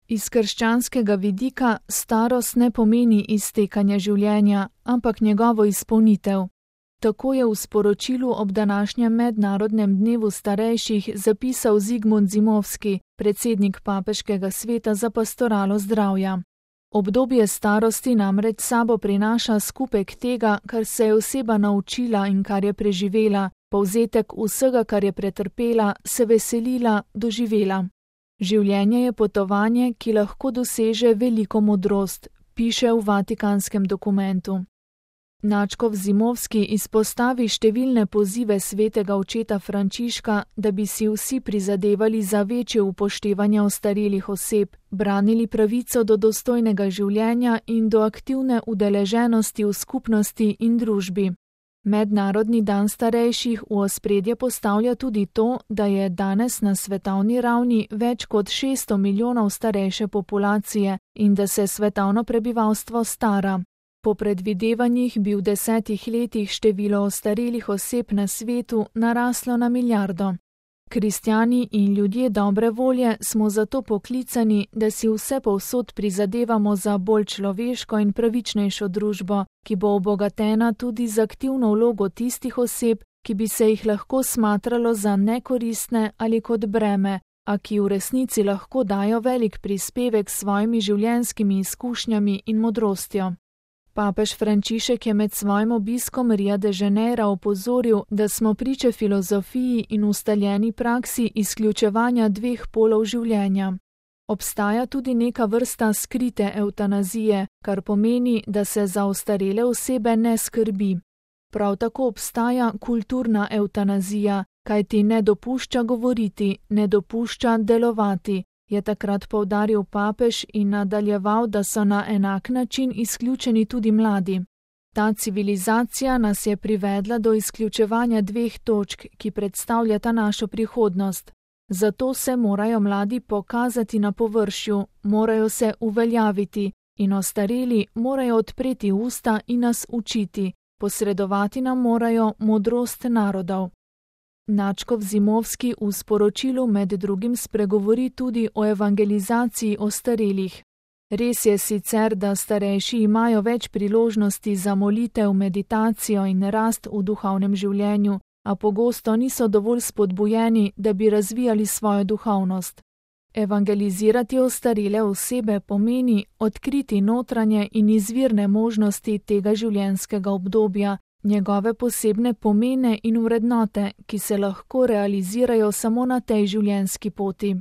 Iz krščanskega vidika starost ne pomeni iztekanje življenja, ampak njegovo izpolnitev. Tako je v sporočilu ob današnjem mednarodnem dnevu starejših zapisal Zigmund Zimovski, predsednik Papeškega sveta za pastoralo zdravja. Obdobje starosti namreč sabo prinaša skupek tega, kar se je oseba naučila in kar je preživela, povzetek vsega, kar je pretrpela, se veselila, doživela. Življenje je potovanje, ki lahko doseže veliko modrost, piše v Vatikanskem dokumentu. Nadškof Zimovski izpostavi številne pozive svetega očeta Frančiška, da bi si vsi prizadevali za večje upoštevanje ostarelih oseb, branili pravico do dostojnega življenja in do aktivne udeleženosti v skupnosti in družbi. Mednarodni dan starejših v ospredje postavlja tudi to, da je danes na svetovni ravni več kot 600 milijonov starejše populacije in da se svetovno prebivalstvo stara. Po predvidevanjih bi v 10 letih število ostarelih oseb na svetu naraslo na milijardo. Kristjani in ljudje dobre volje smo zato poklicani, da si vse povsod prizadevamo za bolj človeško in pravičnejšo družbo, ki bo obogatena tudi z aktivno vlogo tistih oseb, ki bi se jih lahko smatralo za nekoristne ali kot breme, a ki v resnici lahko dajo velik prispevek s svojimi življenjskimi izkušnjami in modrostjo. Papež Frančišek je med svojim obiskom Ria de Janeira opozoril, da smo priče filozofiji in ustaljeni praksi izključevanja dveh polov življenja. Obstaja tudi neka vrsta skrite evtanazije, kar pomeni, da se za ostarele osebe ne skrbi. Prav tako obstaja kulturna evtanazija, kajti ne dopušča govoriti, ne dopušča delovati, je takrat poudaril papež in nadaljeval, da so na enak način izključeni tudi mladi. Ta civilizacija nas je privedla do izključevanja dveh točk, ki predstavljata našo prihodnost. Zato se morajo mladi pokazati na površju, morajo se uveljaviti in ostareli morajo odpreti usta in nas učiti, posredovati nam morajo modrost narodov. Nadškof Zimovski v sporočilu med drugim spregovori tudi o evangelizaciji ostarelih. Res je sicer, da starejši imajo več priložnosti za molitev, meditacijo in rast v duhovnem življenju, a pogosto niso dovolj spodbujeni, da bi razvijali svojo duhovnost. Evangelizirati ostarele osebe pomeni odkriti notranje in izvirne možnosti tega življenjskega obdobja, njegove posebne pomene in vrednote, ki se lahko realizirajo samo na tej življenjski poti.